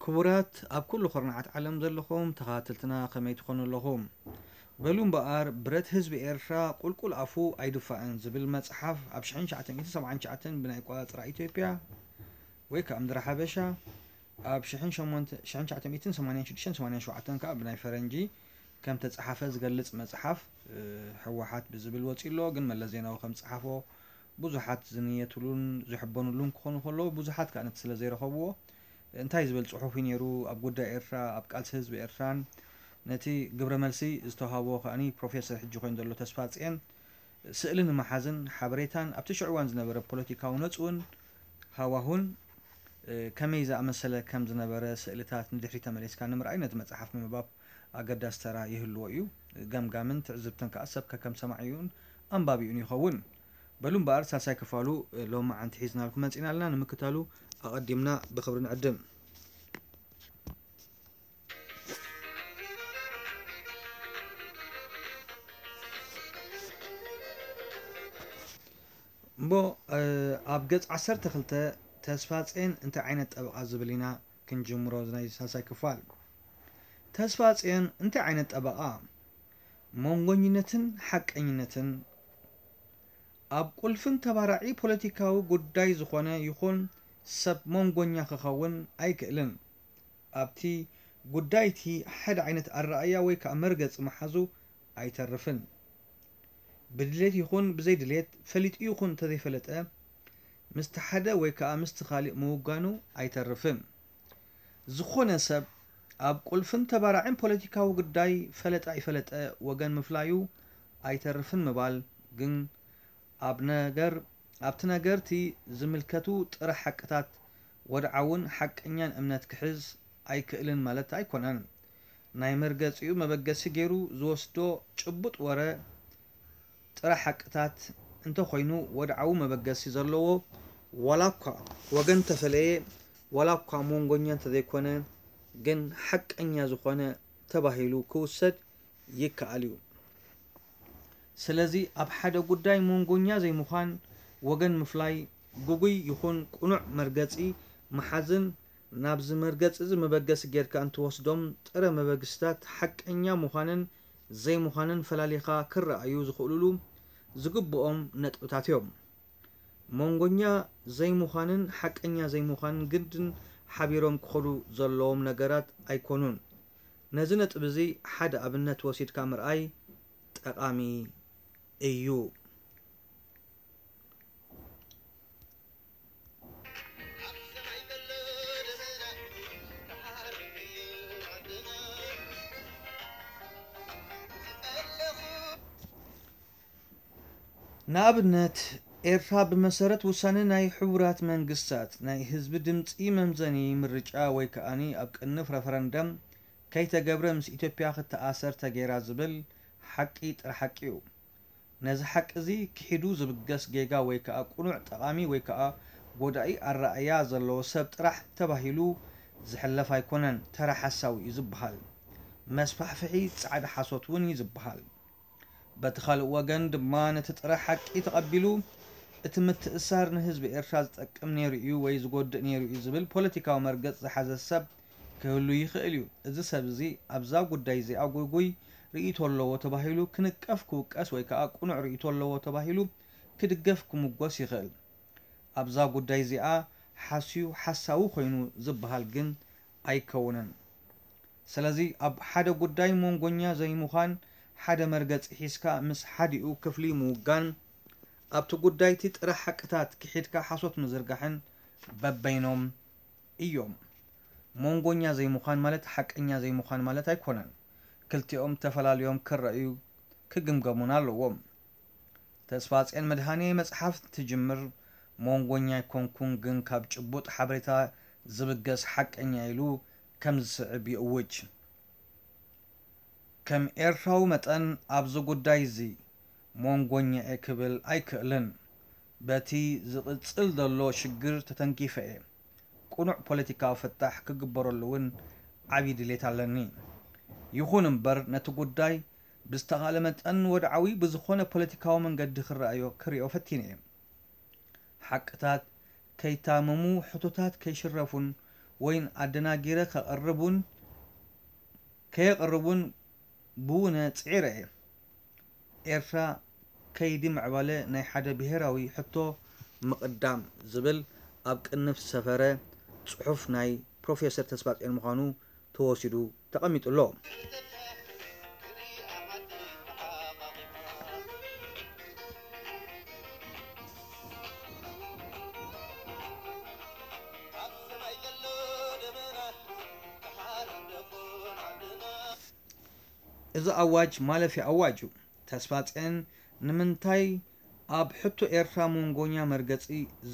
ክቡራት ኣብ ኩሉ ኩርናዓት ዓለም ዘለኹም ተኸታተልትና ከመይ ትኾኑ ኣለኹም? በሉ እምበኣር ብረት ህዝቢ ኤርትራ ቁልቁል ኣፉ ኣይድፋእን ዝብል መጽሓፍ ኣብ ሽሕን ትሽዓተ ሚእትን ሰብዓን ትሽዓተን ብናይ ኣቆጻጽራ ኢትዮጵያ ወይ ከኣ ምድሪ ሓበሻ ኣብ ሽሕን ሸሞንተ፣ ሽሕን ትሽዓተ ሚእትን ሰማንያን ሽዱሽተን ሰማንያን ሸውዓተን ከኣ ብናይ ፈረንጂ ከም ተጸሓፈ ዝገልጽ መጽሓፍ ህወሓት ብዝብል ወጺኡ ኣሎ። ግን መለስ ዜናዊ ከም ዝጸሓፎ ብዙሓት ዝንየትሉን ዝሕበኑሉን ክኾኑ ከለዉ ብዙሓት ከኣ ነቲ ስለ ዘይረኸብዎ እንታይ ዝበል ጽሑፍ እዩ ነይሩ ኣብ ጉዳይ ኤርትራ ኣብ ቃልሲ ህዝቢ ኤርትራን ነቲ ግብረ መልሲ ዝተውሃቦ ከኣ ፕሮፌሰር ሕጂ ኮይኑ ዘሎ ተስፋጽየን ስእሊ ንምሓዝን ሓበሬታን ኣብቲ ሽዑ እዋን ዝነበረ ፖለቲካዊ ነጽውን ሃዋሁን ከመይ ዝኣመሰለ ከም ዝነበረ ስእልታት ንድሕሪት ተመሊስካ ንምርኣይ ነቲ መጽሓፍ ምንባብ ኣገዳሲ ተራ ይህልዎ እዩ። ገምጋምን ትዕዝብትን ከኣ ሰብ ከከም ሰማዒኡን ኣንባቢኡን ይኸውን። በሉ እምበኣር ሳልሳይ ክፋሉ ሎማዓንቲ ሒዝናልኩም መጺእና ኣለና። ንምክታሉ ኣቐዲምና ብኽብሪ ንዕድም። እሞ ኣብ ገጽ ዓሰርተ ክልተ ተስፋጽዮን እንታይ ዓይነት ጠበቓ ዝብል ኢና ክንጅምሮ ናይ ሳልሳይ ክፋል። ተስፋጽዮን እንታይ ዓይነት ጠበቓ? መንጎኝነትን ሓቀኝነትን። ኣብ ቁልፍን ተባራዒ ፖለቲካዊ ጉዳይ ዝኾነ ይኹን ሰብ መንጎኛ ክኸውን ኣይክእልን። ኣብቲ ጉዳይ እቲ ሓደ ዓይነት ኣረኣእያ ወይ ከኣ መርገጺ ምሓዙ ኣይተርፍን። ብድሌት ይኹን ብዘይድሌት፣ ፈሊጡ ይኹን እንተዘይፈለጠ፣ ምስቲ ሓደ ወይ ከኣ ምስቲ ካልእ ምውጋኑ ኣይተርፍን። ዝኾነ ሰብ ኣብ ቁልፍን ተባራዕን ፖለቲካዊ ጉዳይ ፈለጠ ኣይፈለጠ ወገን ምፍላዩ ኣይተርፍን ምባል ግን ኣብ ነገር ኣብቲ ነገር'ቲ ዝምልከቱ ጥረ ሓቅታት ወድዓውን ሓቀኛን እምነት ክሕዝ ኣይክእልን ማለት ኣይኮነን። ናይ መርገጺኡ መበገሲ ገይሩ ዝወስዶ ጭቡጥ ወረ ጥረ ሓቅታት እንተኾይኑ ወድዓዊ መበገሲ ዘለዎ ዋላ እኳ ወገን ተፈለየ ዋላ እኳ መንጎኛ እንተዘይኮነ ግን ሓቀኛ ዝኾነ ተባሂሉ ክውሰድ ይከኣል እዩ። ስለዚ ኣብ ሓደ ጉዳይ መንጎኛ ዘይምዃን፣ ወገን ምፍላይ፣ ግጉይ ይኹን ቅኑዕ መርገጺ ምሓዝን ናብዚ መርገጺ እዚ መበገሲ ጌርካ እንትወስዶም ጥረ መበግስታት ሓቀኛ ምዃንን ዘይምዃንን ፈላሊኻ ክረኣዩ ዝኽእሉሉ ዝግብኦም ነጥብታት እዮም። መንጎኛ ዘይምዃንን ሓቀኛ ዘይምዃንን ግድን ሓቢሮም ክኸዱ ዘለዎም ነገራት ኣይኮኑን። ነዚ ነጥቢ እዚ ሓደ ኣብነት ወሲድካ ምርኣይ ጠቓሚ እዩ። ንኣብነት፣ ኤርትራ ብመሰረት ውሳነ ናይ ሕቡራት መንግስታት ናይ ህዝቢ ድምጺ መምዘኒ ምርጫ ወይ ከኣ ኣብ ቅንፍ ረፈረንደም ከይተገብረ ምስ ኢትዮጵያ ክትኣሰር ተገይራ ዝብል ሓቂ ጥረ ሓቂ እዩ። ነዚ ሓቂ እዚ ክሒዱ ዝብገስ ጌጋ ወይ ከኣ ቅኑዕ ጠቓሚ ወይ ከኣ ጎዳኢ ኣረኣእያ ዘለዎ ሰብ ጥራሕ ተባሂሉ ዝሕለፍ ኣይኮነን፣ ተራ ሓሳዊ እዩ ዝበሃል። መስፋሕፍሒ ጻዕዳ ሓሶት እውን እዩ ዝበሃል። በቲ ካልእ ወገን ድማ ነቲ ጥረ ሓቂ ተቐቢሉ እቲ ምትእስሳር ንህዝቢ ኤርትራ ዝጠቅም ነይሩ እዩ ወይ ዝጎድእ ነይሩ እዩ ዝብል ፖለቲካዊ መርገጽ ዝሓዘ ሰብ ክህሉ ይኽእል እዩ። እዚ ሰብ እዚ ኣብዛ ጉዳይ እዚኣ ግጉይ ርእይቶ ኣለዎ ተባሂሉ ክንቀፍ ክውቀስ ወይ ከኣ ቅኑዕ ርእይቶ ኣለዎ ተባሂሉ ክድገፍ ክምጎስ ይኽእል። ኣብዛ ጉዳይ እዚኣ ሓስዩ ሓሳዊ ኮይኑ ዝበሃል ግን ኣይከውንን። ስለዚ ኣብ ሓደ ጉዳይ መንጎኛ ዘይምዃን ሓደ መርገጺ ሒዝካ ምስ ሓዲኡ ክፍሊ ምውጋን ኣብቲ ጉዳይ እቲ ጥረ ሓቅታት ክሒድካ ሓሶት ምዝርጋሕን በበይኖም እዮም። መንጎኛ ዘይምዃን ማለት ሓቀኛ ዘይምዃን ማለት ኣይኮነን። ክልቲኦም ተፈላልዮም ክረኣዩ ክግምገሙን ኣለዎም። ተስፋጽዮን መድሃኔ መጽሓፍ ትጅምር መንጎኛ ኣይኮንኩን ግን ካብ ጭቡጥ ሓበሬታ ዝብገስ ሓቀኛ ኢሉ ከም ዝስዕብ ይእውጅ። ከም ኤርትራዊ መጠን ኣብዚ ጉዳይ እዚ መንጎኛ እየ ክብል ኣይክእልን። በቲ ዝቕጽል ዘሎ ሽግር ተተንኪፈ እየ። ቅኑዕ ፖለቲካዊ ፍታሕ ክግበረሉ እውን ዓብዪ ድሌት ኣለኒ። ይኹን እምበር ነቲ ጉዳይ ብዝተኻእለ መጠን ወድዓዊ ብዝኾነ ፖለቲካዊ መንገዲ ክረኣዮ ክሪኦ ፈቲነ እየ። ሓቅታት ከይታመሙ፣ ሕቶታት ከይሽረፉን ወይን ኣደናጊረ ከቕርብ እውን ከየቕርብ እውን ብውነ ጽዒረ እየ። ኤርትራ ከይዲ ምዕባለ ናይ ሓደ ብሄራዊ ሕቶ ምቕዳም ዝብል ኣብ ቅንፍ ዝሰፈረ ጽሑፍ ናይ ፕሮፌሰር ተስፋጽዮን ምዃኑ ተወሲዱ ተቐሚጡ ኣሎ። እዚ ኣዋጅ ማለፊያ ኣዋጅ እዩ። ተስፋጽዮን ንምንታይ ኣብ ሕቶ ኤርትራ መንጎኛ መርገጺ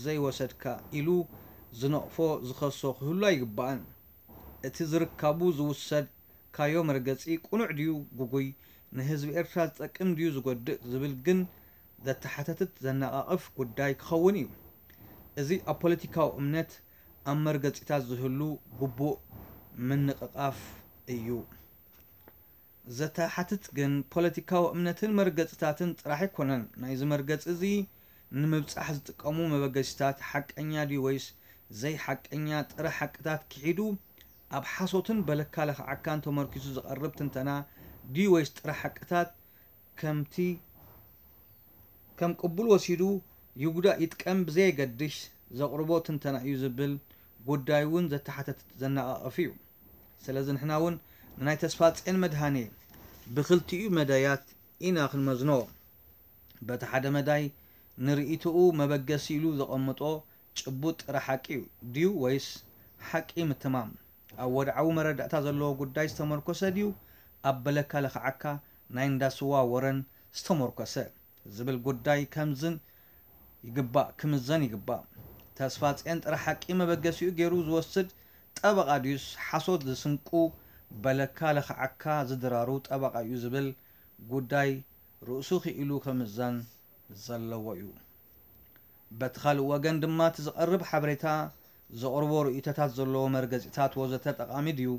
ዘይወሰድካ ኢሉ ዝነቕፎ ዝኸሶ ክህሉ ኣይግባእን። እቲ ዝርካቡ ዝውሰድካዮ መርገጺ ቅኑዕ ድዩ ግጉይ፣ ንህዝቢ ኤርትራ ዝጠቅም ድዩ ዝጎድእ ዝብል ግን ዘተሓተትት ዘነቓቕፍ ጉዳይ ክኸውን እዩ። እዚ ኣብ ፖለቲካዊ እምነት ኣብ መርገጺታት ዝህሉ ግቡእ ምንቕቓፍ እዩ። ዘተሓትት ግን ፖለቲካዊ እምነትን መርገጽታትን ጥራሕ ኣይኮነን። ናይዚ መርገጺ እዚ ንምብጻሕ ዝጥቀሙ መበገሲታት ሓቀኛ ድዩ ወይስ ዘይሓቀኛ ጥረ ሓቅታት ክሒዱ ኣብ ሓሶትን በለካ ለኽዓካን ተመርኪሱ ዝቐርብ ትንተና ድዩ ወይስ ጥረ ሓቅታት ከምቲ ከም ቅቡል ወሲዱ ይጉዳእ ይጥቀም ብዘየገድሽ ዘቕርቦ ትንተና እዩ ዝብል ጉዳይ እውን ዘተሓተትት ዘነቓቕፍ እዩ። ስለዚ ንሕና እውን ንናይ ተስፋጽዮን መድሃኔ ብኽልቲኡ መዳያት ኢና ክንመዝኖ። በቲ ሓደ መዳይ ንርእይትኡ መበገሲ ኢሉ ዘቐምጦ ጭቡጥ ጥረ ሓቂ እዩ ድዩ ወይስ ሓቂ ምትማም ኣብ ወድዓዊ መረዳእታ ዘለዎ ጉዳይ ዝተመርኮሰ ድዩ ኣብ በለካ ለኽዓካ ናይ እንዳ ስዋ ወረን ዝተመርኮሰ ዝብል ጉዳይ ከምዝን ይግባእ፣ ክምዘን ይግባእ። ተስፋጽዮን ጥረ ሓቂ መበገሲኡ ገይሩ ዝወስድ ጠበቓ ድዩስ ሓሶት ዝስንቁ በለካ ለኽዓካ ዝድራሩ ጠበቓ እዩ ዝብል ጉዳይ ርእሱ ክኢሉ ክምዘን ዘለዎ እዩ። በቲ ካልእ ወገን ድማ እቲ ዝቐርብ ሓበሬታ፣ ዘቕርቦ ርእይቶታት ዘለዎ መርገጺታት ወዘተ ጠቓሚ ድዩ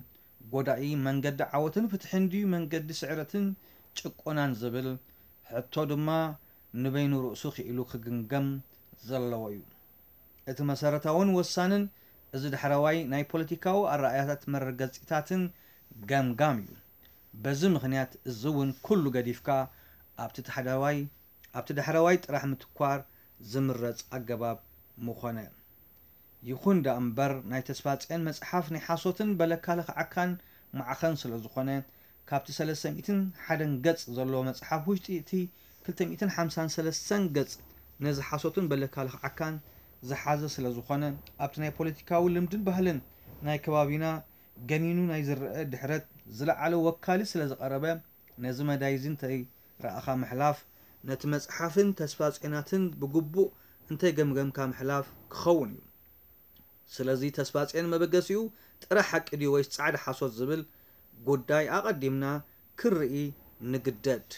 ጎዳኢ፣ መንገዲ ዓወትን ፍትሕን ድዩ መንገዲ ስዕረትን ጭቆናን ዝብል ሕቶ ድማ ንበይኑ ርእሱ ክኢሉ ክግምገም ዘለዎ እዩ። እቲ መሰረታውን ወሳንን እዚ ዳሕረዋይ ናይ ፖለቲካዊ ኣረኣእያታት መረገጺታትን ገምጋም እዩ። በዚ ምኽንያት እዚ እውን ኩሉ ገዲፍካ ኣብቲ ታሕዳዋይ ኣብቲ ዳሕረዋይ ጥራሕ ምትኳር ዝምረጽ ኣገባብ ምኾነ። ይኹን ደኣ እምበር ናይ ተስፋጽዮን መጽሓፍ ናይ ሓሶትን በለካ ለኽዓካን ማዕኸን ስለ ዝኾነ ካብቲ ሰለስተ ሚእትን ሓደን ገጽ ዘለዎ መጽሓፍ ውሽጢ እቲ ክልተ ሚእትን ሓምሳን ሰለስተን ገጽ ነዚ ሓሶትን በለካ ለኽዓካን ዝሓዘ ስለ ዝኾነ ኣብቲ ናይ ፖለቲካዊ ልምድን ባህልን ናይ ከባቢና ገኒኑ ናይ ዝረኣ ድሕረት ዝለዓለ ወካሊ ስለ ዝቐረበ ነዚ መዳይ እዚ እንተይ ረኣኻ ምሕላፍ ነቲ መጽሓፍን ተስፋ ጼናትን ብግቡእ እንተይ ገምገምካ ምሕላፍ ክኸውን እዩ። ስለዚ ተስፋ ጼን መበገሲኡ ጥረ ሓቂ ድዩ ወይስ ጻዕዳ ሓሶት ዝብል ጉዳይ ኣቐዲምና ክንርኢ ንግደድ።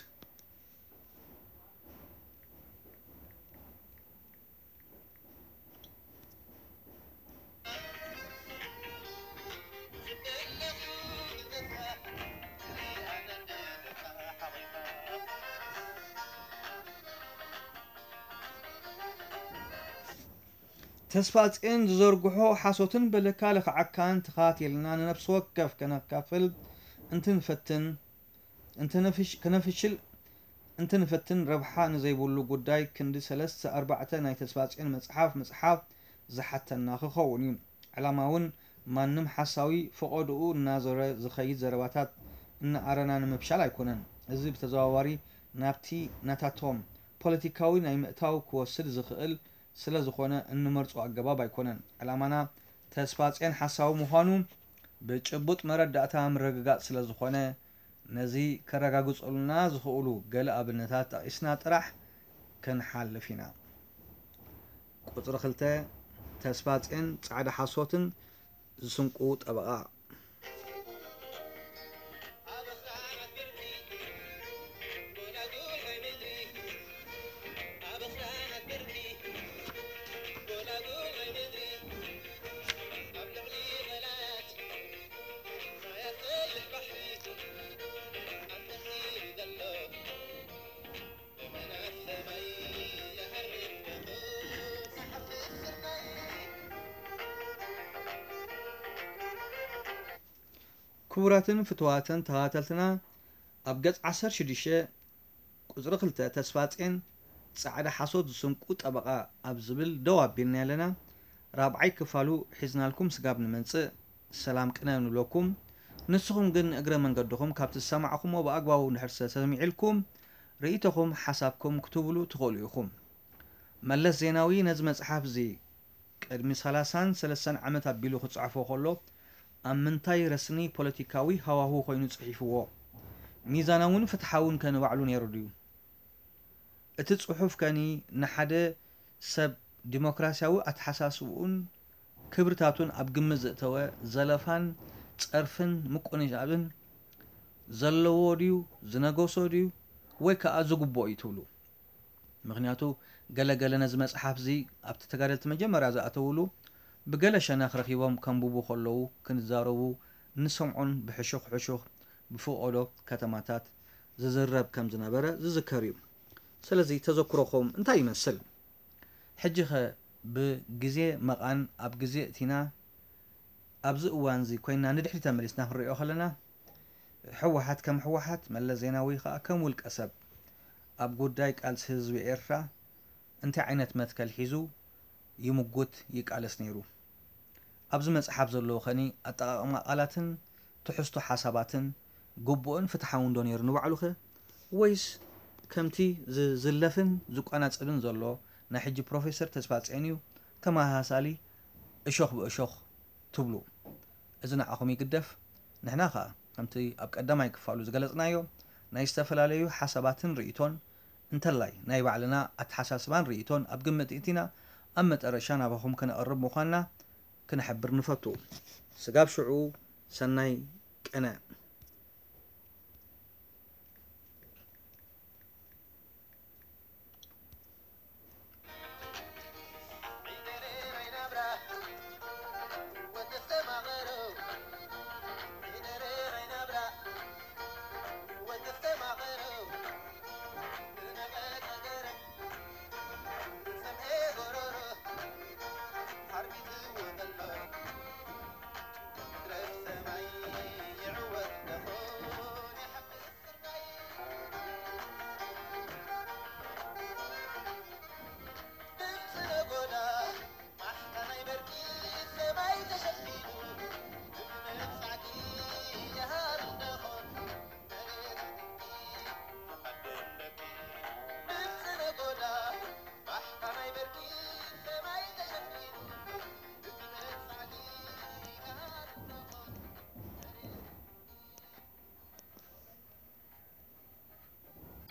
ተስፋ ጼን ዝዘርግሖ ሓሶትን በለካ ለኽዓካን ተኻቲልና ንነፍሲ ወከፍ ከነካፍል እንትንፈትን ከነፍሽል እንትንፈትን ረብሓ ንዘይብሉ ጉዳይ ክንዲ ሰለስተ ኣርባዕተ ናይ ተስፋጽዮን መጽሓፍ ምጽሓፍ ዝሓተና ክኸውን እዩ። ዕላማ እውን ማንም ሓሳዊ ፈቖድኡ እናዞረ ዝኸይድ ዘረባታት እናኣረና ንምፍሻል ኣይኮነን። እዚ ብተዘዋዋሪ ናብቲ ናታቶም ፖለቲካዊ ናይ ምእታው ክወስድ ዝኽእል ስለ ዝኾነ እንመርጾ ኣገባብ ኣይኮነን። ዕላማና ተስፋጽዮን ሓሳዊ ምዃኑ ብጭቡጥ መረዳእታ ምርግጋጽ ስለ ዝኾነ ነዚ ከረጋግጸሉና ዝኽእሉ ገለ ኣብነታት ጠቒስና ጥራሕ ክንሓልፍ ኢና። ቁጽሪ ክልተ፣ ተስፋጽዮን ጻዕዳ ሓሶትን ዝስንቁ ጠበቓ። ክቡራትን ፍትዋትን ተኸታተልትና፣ ኣብ ገጽ ዓሰርተ ሽዱሽተ ቁጽሪ ክልተ ተስፋጽዮን ጻዕዳ ሓሶት ዝስንቁ ጠበቓ ኣብ ዝብል ደው ኣቢልና ኣለና። ራብዓይ ክፋሉ ሒዝናልኩም ስጋብ ንመጽእ ሰላም ቅነ ንብለኩም። ንስኹም ግን እግረ መንገድኹም ካብቲ ዝሰማዕኹሞ ብኣግባቡ እንድሕር ዝተሰሚዕልኩም ርእይቶኹም ሓሳብኩም ክትብሉ ትኽእሉ ኢኹም። መለስ ዜናዊ ነዚ መጽሓፍ እዚ ቅድሚ ሰላሳን ሰለስተን ዓመት ኣቢሉ ክጽሕፎ ከሎ ኣብ ምንታይ ረስኒ ፖለቲካዊ ሃዋሁ ኮይኑ ጽሒፍዎ? ሚዛናውን ፍትሓውን ከ ንባዕሉ ነይሩ ድዩ? እቲ ጽሑፍ ከኒ ንሓደ ሰብ ዲሞክራሲያዊ ኣተሓሳስብኡን ክብርታቱን ኣብ ግምት ዘእተወ ዘለፋን ጸርፍን ምቁንጃብን ዘለዎ ድዩ? ዝነገሶ ድዩ? ወይ ከኣ ዝግብኦ እዩ ትብሉ? ምኽንያቱ ገለ ገለ ነዚ መጽሓፍ እዚ ኣብቲ ተጋደልቲ መጀመርያ ዝኣተውሉ ብገለ ሸነኽ ረኺቦም ከንብቡ ከለዉ ክንዛረቡ ንሰምዖን ብሕሹኽ ሕሹኽ ብፍቖዶ ከተማታት ዝዝረብ ከም ዝነበረ ዝዝከር እዩ። ስለዚ ተዘክሮኹም እንታይ ይመስል? ሕጂ ኸ ብግዜ መቓን ኣብ ግዜ እቲና ኣብዚ እዋን እዚ ኮይና ንድሕሪት ተመሊስና ክንሪኦ ከለና ህወሓት ከም ህወሓት መለስ ዜናዊ ኸኣ ከም ውልቀ ሰብ ኣብ ጉዳይ ቃልሲ ህዝቢ ኤርትራ እንታይ ዓይነት መትከል ሒዙ ይምጉት ይቃለስ ነይሩ? ኣብዚ መጽሓፍ ዘለዉ ኸኒ ኣጠቓቕማ ቃላትን ትሕዝቶ ሓሳባትን ግቡእን ፍትሓውን ዶ ነይሩ ንባዕሉኸ? ወይስ ከምቲ ዝዝለፍን ዝቋናጸብን ዘሎ ናይ ሕጂ ፕሮፌሰር ተስፋጽዮን እዩ ተመሳሳሊ እሾኽ ብእሾኽ ትብሉ? እዚ ንዓኹም ይግደፍ። ንሕና ኸኣ ከምቲ ኣብ ቀዳማይ ክፋሉ ዝገለጽናዮ ናይ ዝተፈላለዩ ሓሳባትን ርእይቶን እንተላይ ናይ ባዕልና ኣተሓሳስባን ርእይቶን ኣብ ግምት እቲና ኣብ መጠረሻ ናባኹም ከነቕርብ ምዃንና ክንሕብር ንፈቱ። ስጋብ ሽዑ ሰናይ ቅነ።